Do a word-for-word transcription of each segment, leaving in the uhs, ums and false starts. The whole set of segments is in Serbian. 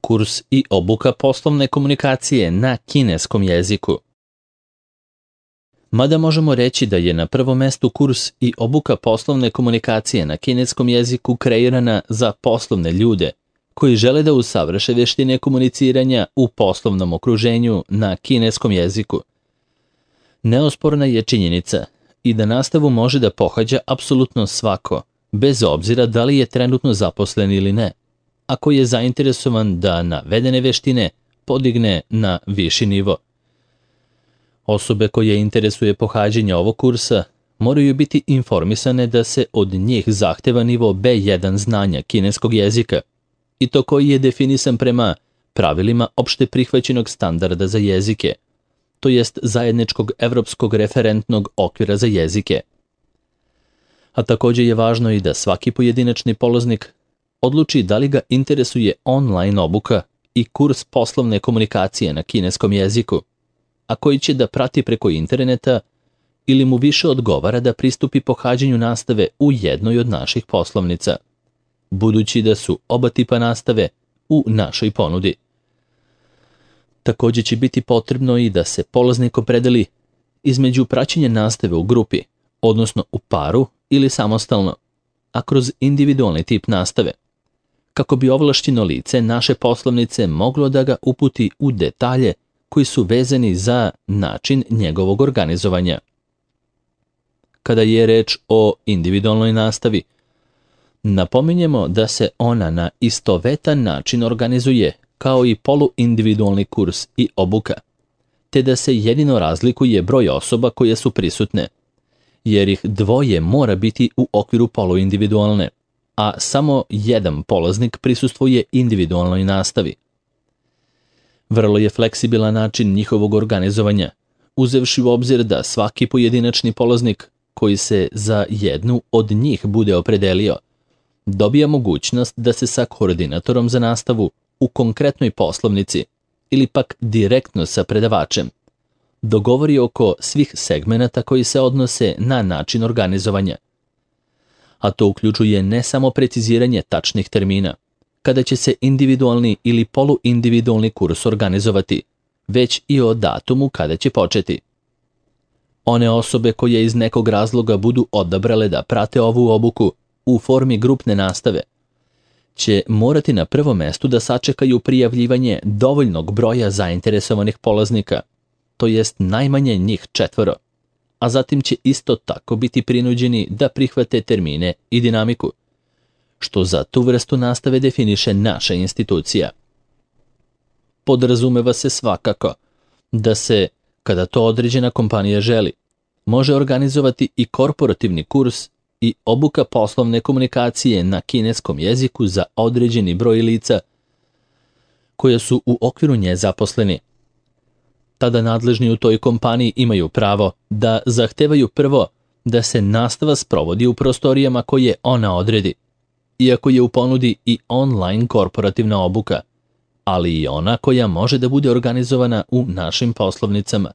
kurs i obuka poslovne komunikacije na kineskom jeziku. Mada možemo reći da je na prvom mestu kurs i obuka poslovne komunikacije na kineskom jeziku kreirana za poslovne ljude koji žele da usavrše veštine komuniciranja u poslovnom okruženju na kineskom jeziku. Neosporna je činjenica i da nastavu može da pohađa apsolutno svako, bez obzira da li je trenutno zaposlen ili ne, ako je zainteresovan da navedene veštine podigne na viši nivo. Osobe koje interesuje pohađanje ovog kursa moraju biti informisane da se od njih zahteva nivo be jedan znanja kineskog jezika, i to koji je definisan prema pravilima opšte prihvaćenog standarda za jezike, to jest zajedničkog evropskog referentnog okvira za jezike. A također je važno i da svaki pojedinačni polaznik odluči da li ga interesuje online obuka i kurs poslovne komunikacije na kineskom jeziku, a koji će da prati preko interneta, ili mu više odgovara da pristupi pohađanju nastave u jednoj od naših poslovnica, budući da su oba tipa nastave u našoj ponudi. Također će biti potrebno i da se polaznik opredeli između praćenja nastave u grupi, odnosno u paru ili samostalno, a kroz individualni tip nastave, kako bi ovlašćeno lice naše poslovnice moglo da ga uputi u detalje koji su vezani za način njegovog organizovanja. Kada je reč o individualnoj nastavi, napominjemo da se ona na istovetan način organizuje kao i poluindividualni kurs i obuka, te da se jedino razlikuje broj osoba koje su prisutne, jer ih dvoje mora biti u okviru poluindividualne, a samo jedan polaznik prisustvuje individualnoj nastavi. Vrlo je fleksibilan način njihovog organizovanja, uzevši u obzir da svaki pojedinačni polaznik koji se za jednu od njih bude opredelio, dobija mogućnost da se sa koordinatorom za nastavu u konkretnoj poslovnici ili pak direktno sa predavačem dogovori oko svih segmenata koji se odnose na način organizovanja. A to uključuje ne samo preciziranje tačnih termina, kada će se individualni ili poluindividualni kurs organizovati, već i o datumu kada će početi. One osobe koje iz nekog razloga budu odabrale da prate ovu obuku u formi grupne nastave će morati na prvom mestu da sačekaju prijavljivanje dovoljnog broja zainteresovanih polaznika, to jest najmanje njih četvoro, a zatim će isto tako biti prinuđeni da prihvate termine i dinamiku, što za tu vrstu nastave definiše naša institucija. Podrazumeva se svakako da se, kada to određena kompanija želi, može organizovati i korporativni kurs i obuka poslovne komunikacije na kineskom jeziku za određeni broj lica koje su u okviru nje zaposleni. Tada nadležni u toj kompaniji imaju pravo da zahtevaju prvo da se nastava sprovodi u prostorijama koje ona odredi, iako je u ponudi i online korporativna obuka, ali i ona koja može da bude organizovana u našim poslovnicama,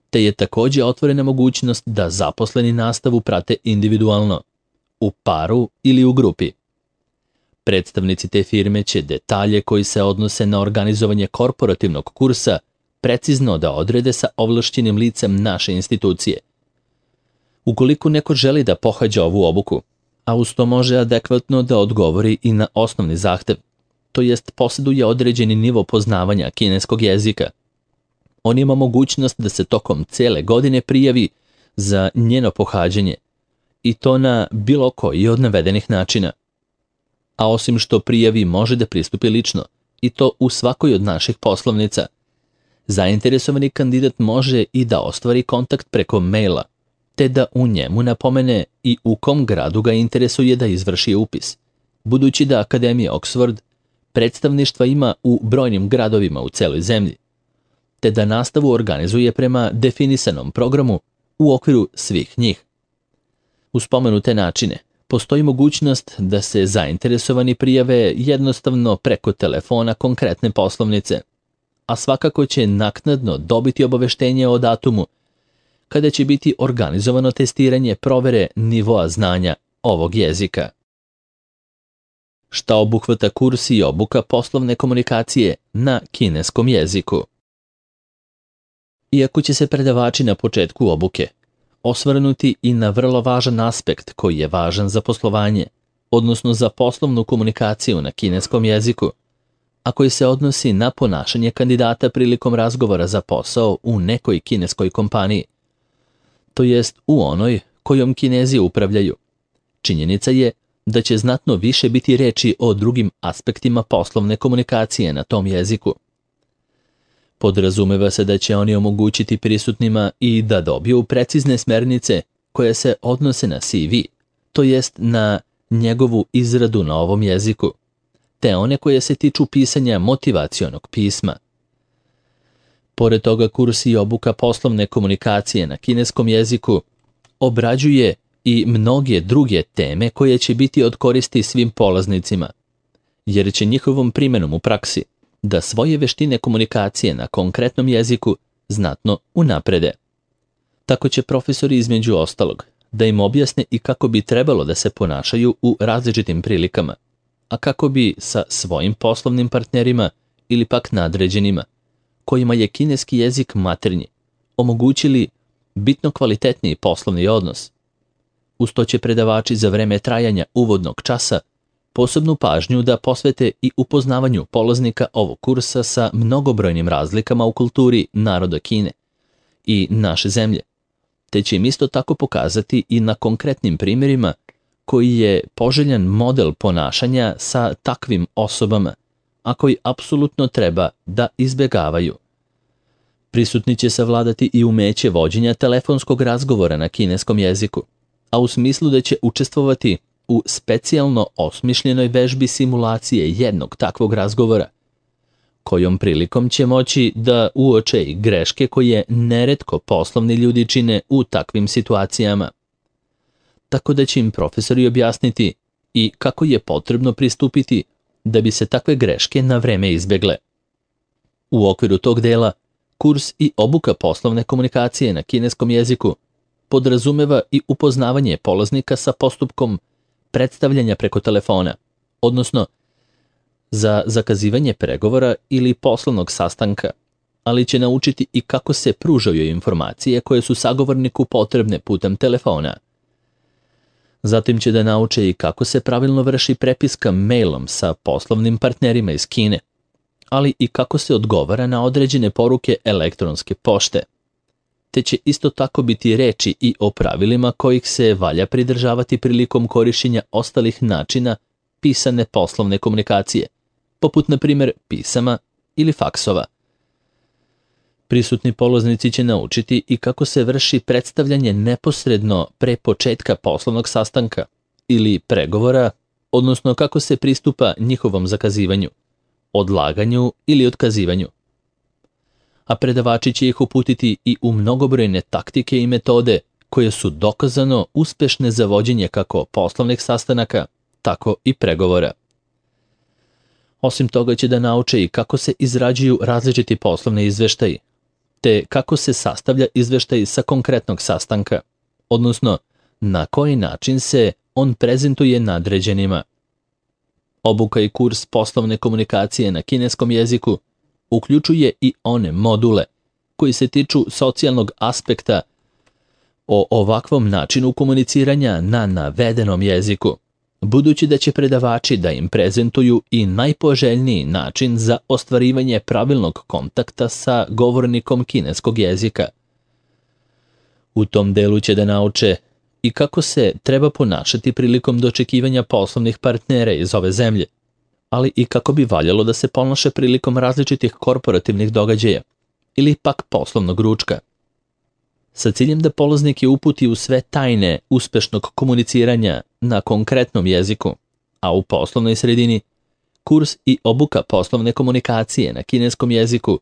te je također otvorena mogućnost da zaposleni nastavu prate individualno, u paru ili u grupi. Predstavnici te firme će detalje koji se odnose na organizovanje korporativnog kursa precizno da odrede sa ovlašćenim licem naše institucije. Ukoliko neko želi da pohađa ovu obuku, a uz to može adekvatno da odgovori i na osnovni zahtev, to jest posjeduje određeni nivo poznavanja kineskog jezika, on ima mogućnost da se tokom cele godine prijavi za njeno pohađanje, i to na bilo koji od navedenih načina. A osim što prijavi može da pristupi lično, i to u svakoj od naših poslovnica, zainteresovani kandidat može i da ostvari kontakt preko maila, te da u njemu napomene i u kom gradu ga interesuje da izvrši upis, budući da Akademija Oxford predstavništva ima u brojnim gradovima u celoj zemlji, te da nastavu organizuje prema definisanom programu u okviru svih njih. U spomenute načine postoji mogućnost da se zainteresovani prijave jednostavno preko telefona konkretne poslovnice, a svakako će naknadno dobiti obaveštenje o datumu kada će biti organizovano testiranje provere nivoa znanja ovog jezika. šta obuhvata kurs i obuka poslovne komunikacije na kineskom jeziku. Iako će se predavači na početku obuke osvrnuti i na vrlo važan aspekt koji je važan za poslovanje, odnosno za poslovnu komunikaciju na kineskom jeziku, a koji se odnosi na ponašanje kandidata prilikom razgovora za posao u nekoj kineskoj kompaniji, to jest u onoj kojom Kinezi upravljaju. Činjenica je da će znatno više biti reči o drugim aspektima poslovne komunikacije na tom jeziku. Podrazumeva se da će oni omogućiti prisutnima i da dobiju precizne smernice koje se odnose na C V, to jest na njegovu izradu na ovom jeziku, te one koje se tiču pisanja motivacionog pisma. Pored toga, kurs i obuka poslovne komunikacije na kineskom jeziku obrađuje i mnoge druge teme koje će biti od koristi svim polaznicima, jer će njihovom primjenom u praksi da svoje veštine komunikacije na konkretnom jeziku znatno unaprede. Tako će profesori između ostalog da im objasne i kako bi trebalo da se ponašaju u različitim prilikama, a kako bi sa svojim poslovnim partnerima ili pak nadređenima, kojima je kineski jezik maternji, omogućili bitno kvalitetniji poslovni odnos. Uz to će predavači za vreme trajanja uvodnog časa posebnu pažnju da posvete i upoznavanju polaznika ovog kursa sa mnogobrojnim razlikama u kulturi naroda Kine i naše zemlje, te će im isto tako pokazati i na konkretnim primjerima koji je poželjan model ponašanja sa takvim osobama, a koji apsolutno treba da izbjegavaju. Prisutni će savladati i umeće vođenja telefonskog razgovora na kineskom jeziku, a u smislu da će učestvovati u specijalno osmišljenoj vežbi simulacije jednog takvog razgovora, kojom prilikom će moći da uoče i greške koje neretko poslovni ljudi čine u takvim situacijama. Tako da će im profesori objasniti i kako je potrebno pristupiti da bi se takve greške na vreme izbjegle. U okviru tog dela, kurs i obuka poslovne komunikacije na kineskom jeziku podrazumeva i upoznavanje polaznika sa postupkom predstavljanja preko telefona, odnosno za zakazivanje pregovora ili poslovnog sastanka, ali će naučiti i kako se pružaju informacije koje su sagovorniku potrebne putem telefona. Zatim će da nauče i kako se pravilno vrši prepiska mailom sa poslovnim partnerima iz Kine, ali i kako se odgovara na određene poruke elektronske pošte. Te će isto tako biti reči i o pravilima kojih se valja pridržavati prilikom korištenja ostalih načina pisane poslovne komunikacije, poput na primjer pisama ili faksova. Prisutni polaznici će naučiti i kako se vrši predstavljanje neposredno pre početka poslovnog sastanka ili pregovora, odnosno kako se pristupa njihovom zakazivanju, odlaganju ili otkazivanju. A predavači će ih uputiti i u mnogobrojne taktike i metode koje su dokazano uspešne za vođenje kako poslovnih sastanaka, tako i pregovora. Osim toga će da nauče i kako se izrađuju različiti poslovni izveštaji, te kako se sastavlja izveštaj sa konkretnog sastanka, odnosno na koji način se on prezentuje nadređenima. Obuka i kurs poslovne komunikacije na kineskom jeziku uključuje i one module koji se tiču socijalnog aspekta o ovakvom načinu komuniciranja na navedenom jeziku, budući da će predavači da im prezentuju i najpoželjniji način za ostvarivanje pravilnog kontakta sa govornikom kineskog jezika. U tom delu će da nauče i kako se treba ponašati prilikom dočekivanja poslovnih partnera iz ove zemlje, ali i kako bi valjalo da se ponaša prilikom različitih korporativnih događaja ili pak poslovnog ručka. Sa ciljem da polaznik je uputi u sve tajne uspešnog komuniciranja na konkretnom jeziku, a u poslovnoj sredini, kurs i obuka poslovne komunikacije na kineskom jeziku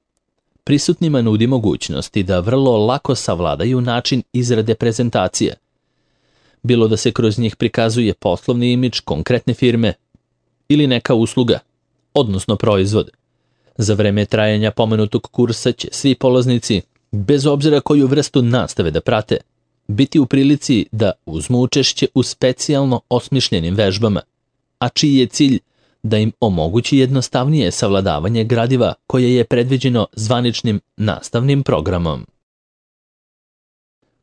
prisutnima nudi mogućnosti da vrlo lako savladaju način izrade prezentacije, bilo da se kroz njih prikazuje poslovni imidž konkretne firme ili neka usluga, odnosno proizvod. Za vreme trajanja pomenutog kursa će svi polaznici, bez obzira koju vrstu nastave da prate, biti u prilici da uzmu učešće u specijalno osmišljenim vežbama, a čiji je cilj da im omogući jednostavnije savladavanje gradiva koje je predviđeno zvaničnim nastavnim programom.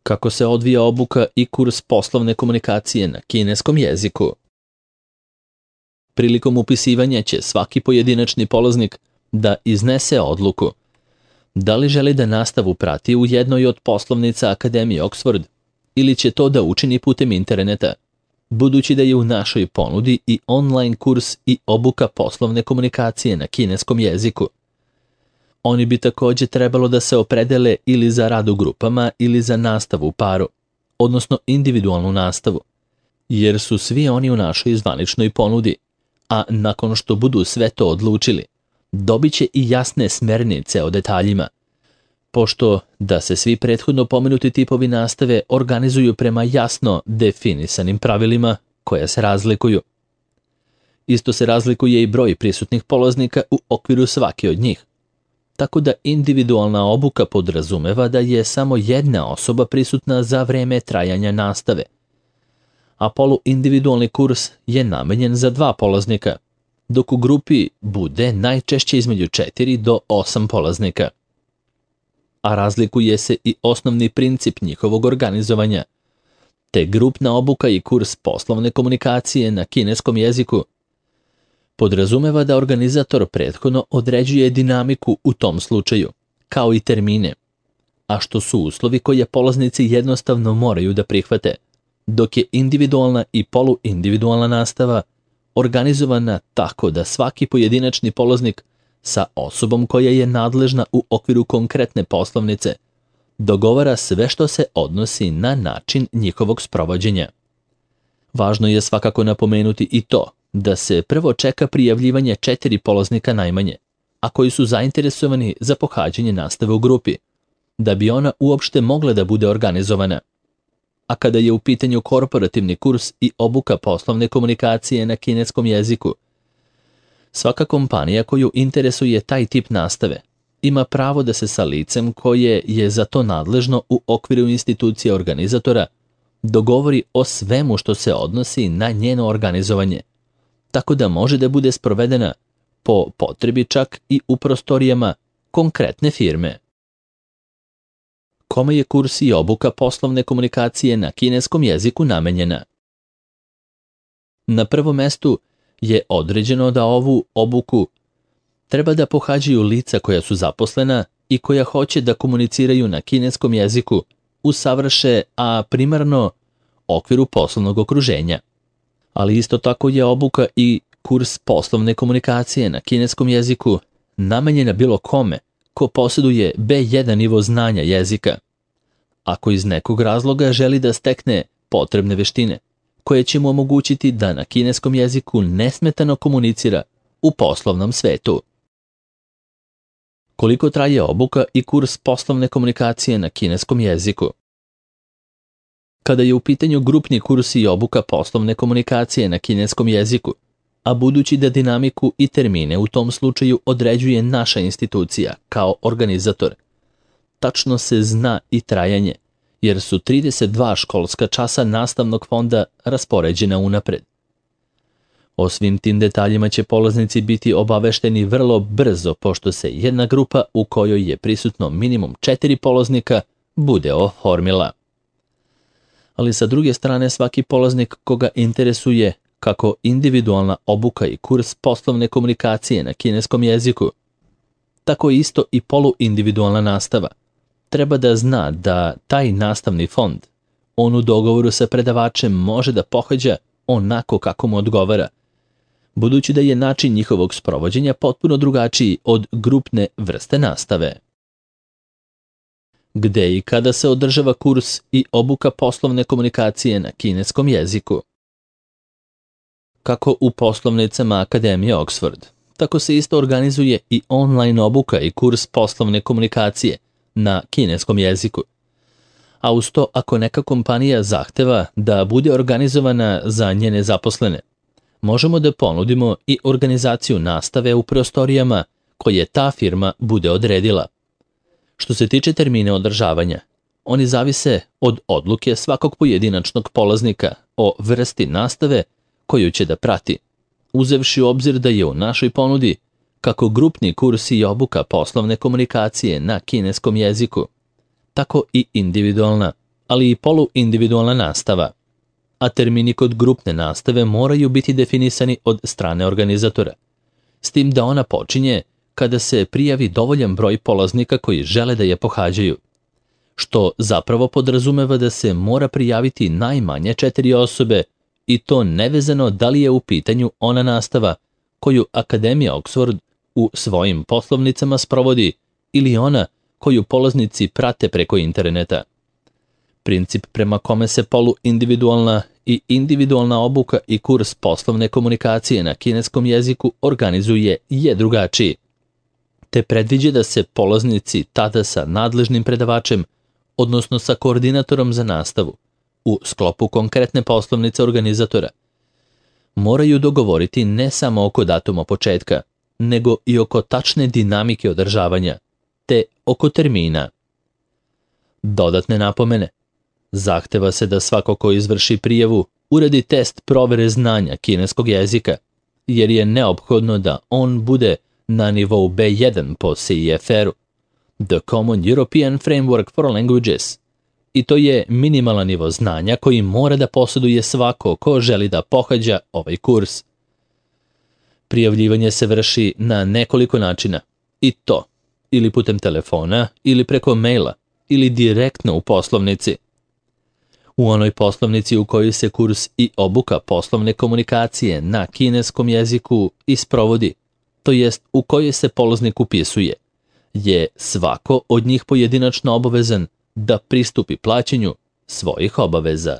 Kako se odvija obuka i kurs poslovne komunikacije na kineskom jeziku? Prilikom upisivanja će svaki pojedinačni polaznik da iznese odluku da li želi da nastavu prati u jednoj od poslovnica Akademije Oxford ili će to da učini putem interneta, budući da je u našoj ponudi i online kurs i obuka poslovne komunikacije na kineskom jeziku. Oni bi također trebalo da se opredele ili za rad u grupama ili za nastavu u paru, odnosno individualnu nastavu, jer su svi oni u našoj zvaničnoj ponudi, a nakon što budu sve to odlučili, dobit će i jasne smernice o detaljima, pošto da se svi prethodno pomenuti tipovi nastave organizuju prema jasno definisanim pravilima koja se razlikuju. Isto se razlikuje i broj prisutnih polaznika u okviru svake od njih, tako da individualna obuka podrazumeva da je samo jedna osoba prisutna za vreme trajanja nastave, a poluindividualni kurs je namenjen za dva polaznika, dok u grupi bude najčešće između četiri do osam polaznika. A razlikuje se i osnovni princip njihovog organizovanja, te grupna obuka i kurs poslovne komunikacije na kineskom jeziku podrazumeva da organizator prethodno određuje dinamiku u tom slučaju, kao i termine, a što su uslovi koje polaznici jednostavno moraju da prihvate, dok je individualna i poluindividualna nastava organizovana tako da svaki pojedinačni polaznik sa osobom koja je nadležna u okviru konkretne poslovnice dogovara sve što se odnosi na način njihovog sprovođenja. Važno je svakako napomenuti i to da se prvo čeka prijavljivanje četiri polaznika najmanje, a koji su zainteresovani za pohađanje nastave u grupi, da bi ona uopšte mogla da bude organizovana. A kada je u pitanju korporativni kurs i obuka poslovne komunikacije na kineskom jeziku, svaka kompanija koju interesuje taj tip nastave ima pravo da se sa licem koje je za to nadležno u okviru institucije organizatora dogovori o svemu što se odnosi na njeno organizovanje, tako da može da bude sprovedena po potrebi čak i u prostorijama konkretne firme. Kome je kurs i obuka poslovne komunikacije na kineskom jeziku namenjena? Na prvom mestu je određeno da ovu obuku treba da pohađaju lica koja su zaposlena i koja hoće da komuniciraju na kineskom jeziku, usavrše, a primarno okviru poslovnog okruženja. Ali isto tako je obuka i kurs poslovne komunikacije na kineskom jeziku namenjena bilo kome ko posjeduje be jedan nivo znanja jezika, ako iz nekog razloga želi da stekne potrebne veštine, koje će mu omogućiti da na kineskom jeziku nesmetano komunicira u poslovnom svetu. Koliko traje obuka i kurs poslovne komunikacije na kineskom jeziku? Kada je u pitanju grupni kurs i obuka poslovne komunikacije na kineskom jeziku, a budući da dinamiku i termine u tom slučaju određuje naša institucija kao organizator, tačno se zna i trajanje, jer su trideset dva školska časa nastavnog fonda raspoređena unapred. O svim tim detaljima će polaznici biti obavešteni vrlo brzo, pošto se jedna grupa u kojoj je prisutno minimum četiri polaznika bude oformila. Ali sa druge strane svaki polaznik koga interesuje kako individualna obuka i kurs poslovne komunikacije na kineskom jeziku, tako isto i poluindividualna nastava, treba da zna da taj nastavni fond on u dogovoru sa predavačem može da pohađa onako kako mu odgovara, budući da je način njihovog sprovođenja potpuno drugačiji od grupne vrste nastave. Gde i kada se održava kurs i obuka poslovne komunikacije na kineskom jeziku? Kako u poslovnicama Akademije Oxford, tako se isto organizuje i online obuka i kurs poslovne komunikacije na kineskom jeziku. A uz to, ako neka kompanija zahteva da bude organizovana za njene zaposlene, možemo da ponudimo i organizaciju nastave u prostorijama koje ta firma bude odredila. Što se tiče termina održavanja, oni zavise od odluke svakog pojedinačnog polaznika o vrsti nastave koju će da prati, uzevši u obzir da je u našoj ponudi kako grupni kurs i obuka poslovne komunikacije na kineskom jeziku, tako i individualna, ali i poluindividualna nastava, a termini kod grupne nastave moraju biti definisani od strane organizatora, s tim da ona počinje kada se prijavi dovoljan broj polaznika koji žele da je pohađaju, što zapravo podrazumeva da se mora prijaviti najmanje četiri osobe i to nevezano da li je u pitanju ona nastava koju Akademija Oxford u svojim poslovnicama sprovodi ili ona koju polaznici prate preko interneta. Princip prema kome se poluindividualna i individualna obuka i kurs poslovne komunikacije na kineskom jeziku organizuje je drugačiji, te predviđa da se polaznici tada sa nadležnim predavačem, odnosno sa koordinatorom za nastavu, u sklopu konkretne poslovnice organizatora, moraju dogovoriti ne samo oko datuma početka, nego i oko tačne dinamike održavanja, te oko termina. Dodatne napomene. Zahteva se da svako ko izvrši prijavu uradi test provere znanja kineskog jezika, jer je neophodno da on bude na nivou B jedan po C E F R-u, The Common European Framework for Languages, i to je minimalan nivo znanja koji mora da posjeduje svako ko želi da pohađa ovaj kurs. Prijavljivanje se vrši na nekoliko načina, i to ili putem telefona, ili preko maila, ili direktno u poslovnici. U onoj poslovnici u kojoj se kurs i obuka poslovne komunikacije na kineskom jeziku isprovodi, to jest u kojoj se polaznik upisuje, je svako od njih pojedinačno obavezan da pristupi plaćanju svojih obaveza.